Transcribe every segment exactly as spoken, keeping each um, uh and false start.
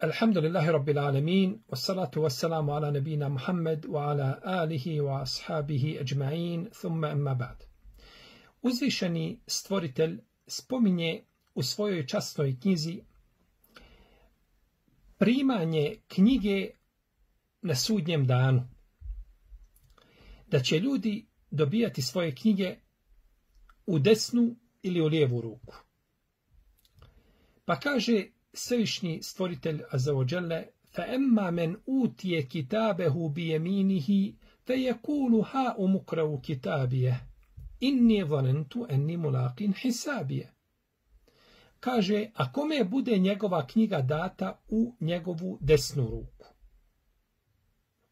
Alhamdulillahi Rabbil Alamin, wassalatu wassalamu ala nabina Muhammad wa ala alihi wa ashabihi ajma'in, thumma amma ba'd. Uzvišeni stvoritelj spominje u svojoj časnoj knjizi primanje knjige na sudnjem danu. Da će ljudi dobijati svoje knjige u desnu ili u lijevu ruku. Pa kaže Svevišnji stvoritelj Azza wa Jalla: فَأَمَّا مَنْ أُوتِيَ كِتَابَهُ بِيَمِينِهِ فَيَقُولُ هَاؤُمُ اقْرَءُوا كِتَابِيَهْ إِنِّي ظَنَنْتُ أَنِّي مُلَاقٍ حِسَابِيَهْ. Kaže, a kome bude njegova knjiga data u njegovu desnu ruku?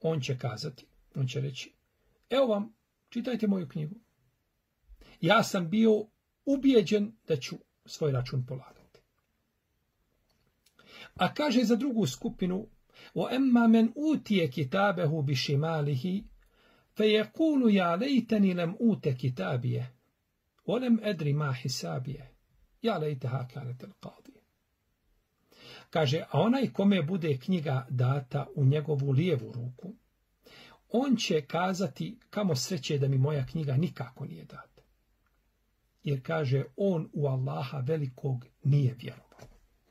On će kazati, on će reći: evo vam, čitajte moju knjigu. Ja sam bio ubijeđen da ću svoj račun polagati. A kaže za drugu skupinu: وَأَمَّا مَنْ أُوتِيَ كِتَابَهُ بِشِمَالِهِ فَيَقُولُ يَا لَيْتَنِي لَمْ أُوتَ كِتَابِيَهْ وَلَمْ أَدْرِ مَا حِسَابِيَهْ يَا لَيْتَهَا كَانَتِ الْقَاضِيَةَ. Kaže, a onaj kome bude knjiga data u njegovu lijevu ruku, on će kazati: kamo sreće da mi moja knjiga nikako nije data. Jer kaže, on u Allaha velikog nije vjerovao.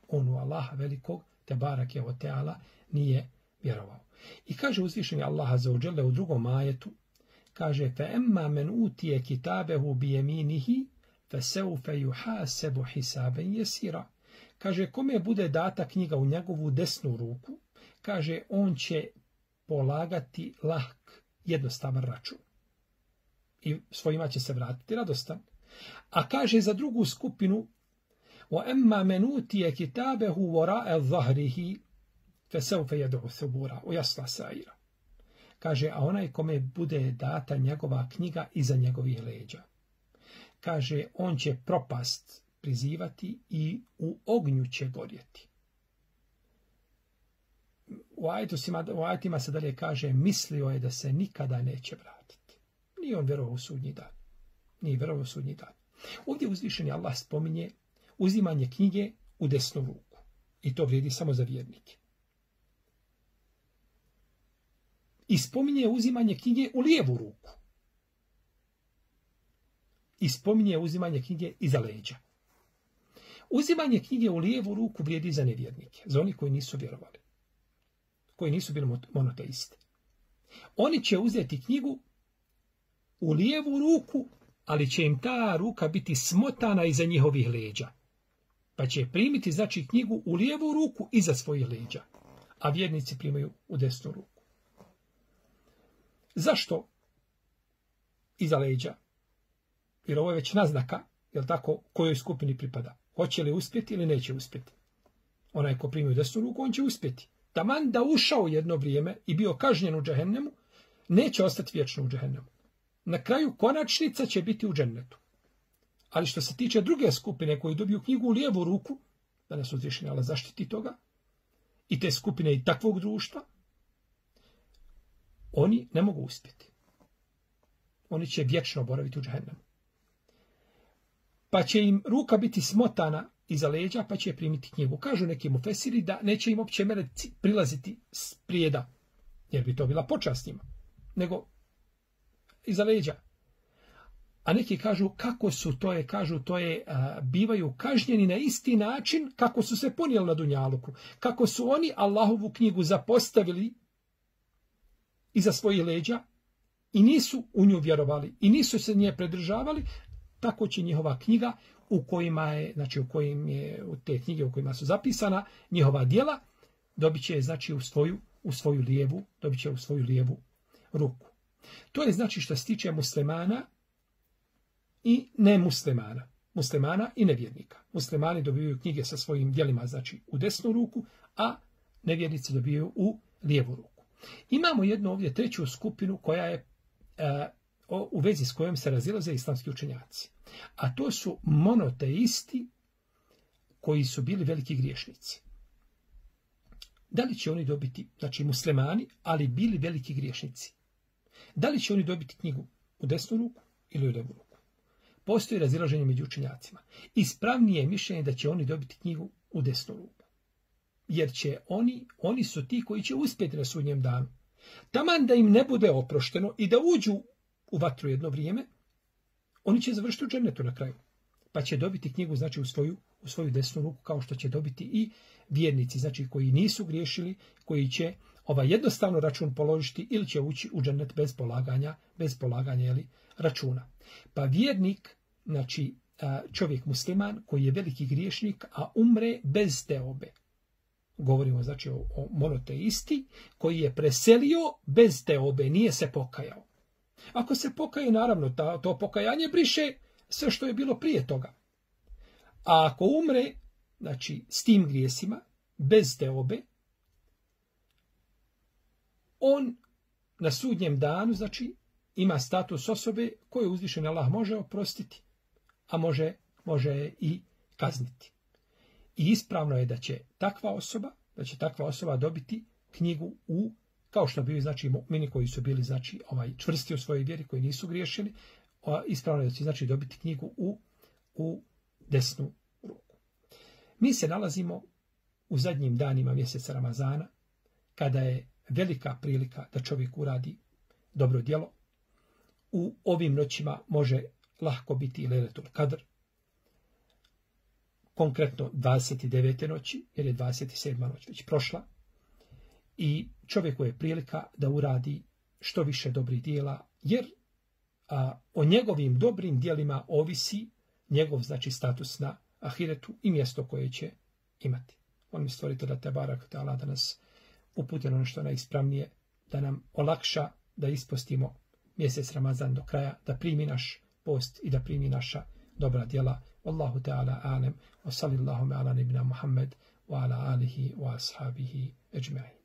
On u Allaha velikog, te barake o teala, nije vjerovao. I kaže uzvišeni Allah Azza wa Jalla u drugom ajetu, kaže: فَأَمَّا مَنْ أُوتِيَ كِتَابَهُ بِيَمِينِهِ فَسَوْفَ يُحَاسَبُ حِسَابًا يَسِيرًا. Kaže, kome bude data knjiga u njegovu desnu ruku, kaže, on će polagati lahk, jednostavan račun. I svojima će se vratiti radostan. A kaže za drugu skupinu: وَأَمَّا مَنْ أُوتِيَ كِتَابَهُ وَرَاءَ ظَهْرِهِ فَسَوْفَ يَدْعُ ثُبُورًا وَيَصْلَى سَعِيرًا. Kaže, a onaj kome bude data njegova knjiga iza njegovih leđa, kaže, on će propast prizivati i u ognju će gorjeti. U ajetima se dalje kaže: mislio je da se nikada neće vratiti. Nije on vjerovao u sudnji dan. Nije vjerovao u sudnji dan. Ovdje uzvišeni Allah spominje uzimanje knjige u desnu ruku. I to vrijedi samo za vjernike. I spominje uzimanje knjige u lijevu ruku. I spominje uzimanje knjige iza leđa. Uzimanje knjige u lijevu ruku vrijedi za nevjernike, za oni koji nisu vjerovali, koji nisu bili monoteisti. Oni će uzeti knjigu u lijevu ruku, ali će im ta ruka biti smotana iza njihovih leđa. Pa će primiti, znači, knjigu u lijevu ruku iza svojih leđa, a vjernici primaju u desnu ruku. Zašto iza leđa? Jer ovo je već naznaka, jel tako, kojoj skupini pripada. Hoće li uspjeti ili neće uspjeti? Onaj ko primi u desnu ruku, on će uspjeti. Taman da ušao jedno vrijeme i bio kažnjen u džehennemu, neće ostati vječno u džehennemu. Na kraju konačnica će biti u džennetu. Ali što se tiče druge skupine koji dobiju knjigu u lijevu ruku, da nas uzvišeni Allah zaštiti toga, i te skupine i takvog društva, oni ne mogu uspjeti. Oni će vječno boraviti u džehennemu. Pa će im ruka biti smotana iza leđa, pa će primiti knjigu. Kažu neki mufesiri da neće im opće meleci prilaziti s prijeda, jer bi to bila počast njima, nego iza leđa. A neki kažu, kako su to je, kažu to je, a, bivaju kažnjeni na isti način kako su se ponijeli na dunjaluku. Kako su oni Allahovu knjigu zapostavili iza svojih leđa i nisu u nju vjerovali i nisu se nje predržavali, tako će njihova knjiga u kojima je, znači u kojim je, u te knjige u kojima su zapisana njihova djela, dobit će, znači, u svoju, u svoju lijevu, dobit će u svoju lijevu ruku. To je, znači, što se tiče muslimana i nemuslimana. Muslimana i nevjernika. Muslimani dobivaju knjige sa svojim djelima, znači, u desnu ruku, a nevjernici dobivaju u lijevu ruku. Imamo jednu ovdje treću skupinu koja je e, u vezi s kojom se razilaze islamski učenjaci. A to su monoteisti koji su bili veliki griješnici. Da li će oni dobiti, znači muslimani, ali bili veliki griješnici? Da li će oni dobiti knjigu u desnu ruku ili u lijevu ruku? Postoji razilaženje među učenjacima. Ispravnije je mišljenje da će oni dobiti knjigu u desnu ruku. jer će oni, oni su ti koji će uspjeti na sudnjem danu. Taman da im ne bude oprošteno i da uđu u vatru jedno vrijeme, oni će završiti u džennetu na kraju. Pa će dobiti knjigu, znači, u svoju, u svoju desnu ruku, kao što će dobiti i vjernici, znači, koji nisu griješili, koji će ovaj jednostavno račun položiti ili će ući u džennet bez polaganja, bez polaganja jeli, računa. Pa vjernik, znači, čovjek musliman koji je veliki griješnik, a umre bez teobe. Govorimo, znači, o, o monoteisti koji je preselio bez teobe, nije se pokajao. Ako se pokaje, naravno, ta, to pokajanje briše sve što je bilo prije toga. A ako umre, znači, s tim grijesima, bez teobe, on na sudnjem danu, znači, ima status osobe koju uzvišeni Allah može oprostiti, a može, može i kazniti. I ispravno je da će takva osoba, da će takva osoba dobiti knjigu u, kao što bili, znači, mu'mini koji su bili, znači, ovaj, čvrsti u svojoj vjeri, koji nisu griješili, ispravno je da će, znači, dobiti knjigu u, u desnu ruku. Mi se nalazimo u zadnjim danima mjeseca Ramazana, kada je velika prilika da čovjek uradi dobro djelo. U ovim noćima može lahko biti i Lejletul Kadr, konkretno dvadeset devete noći, jer je dvadeset sedma noć već prošla. I čovjeku je prilika da uradi što više dobrih djela, jer a, o njegovim dobrim djelima ovisi njegov, znači, status na ahiretu i mjesto koje će imati. On mi stvorite da te barak te Allah da nas uputi na nešto najispravnije, da nam olakša da ispostimo mjesec Ramazan do kraja, da primi naš post i da primi naša dobra djela. Wallahu ta'ala alem, wa sallallahu ala nabina Muhammed, wa ala alihi wa ashabihi ejma'in.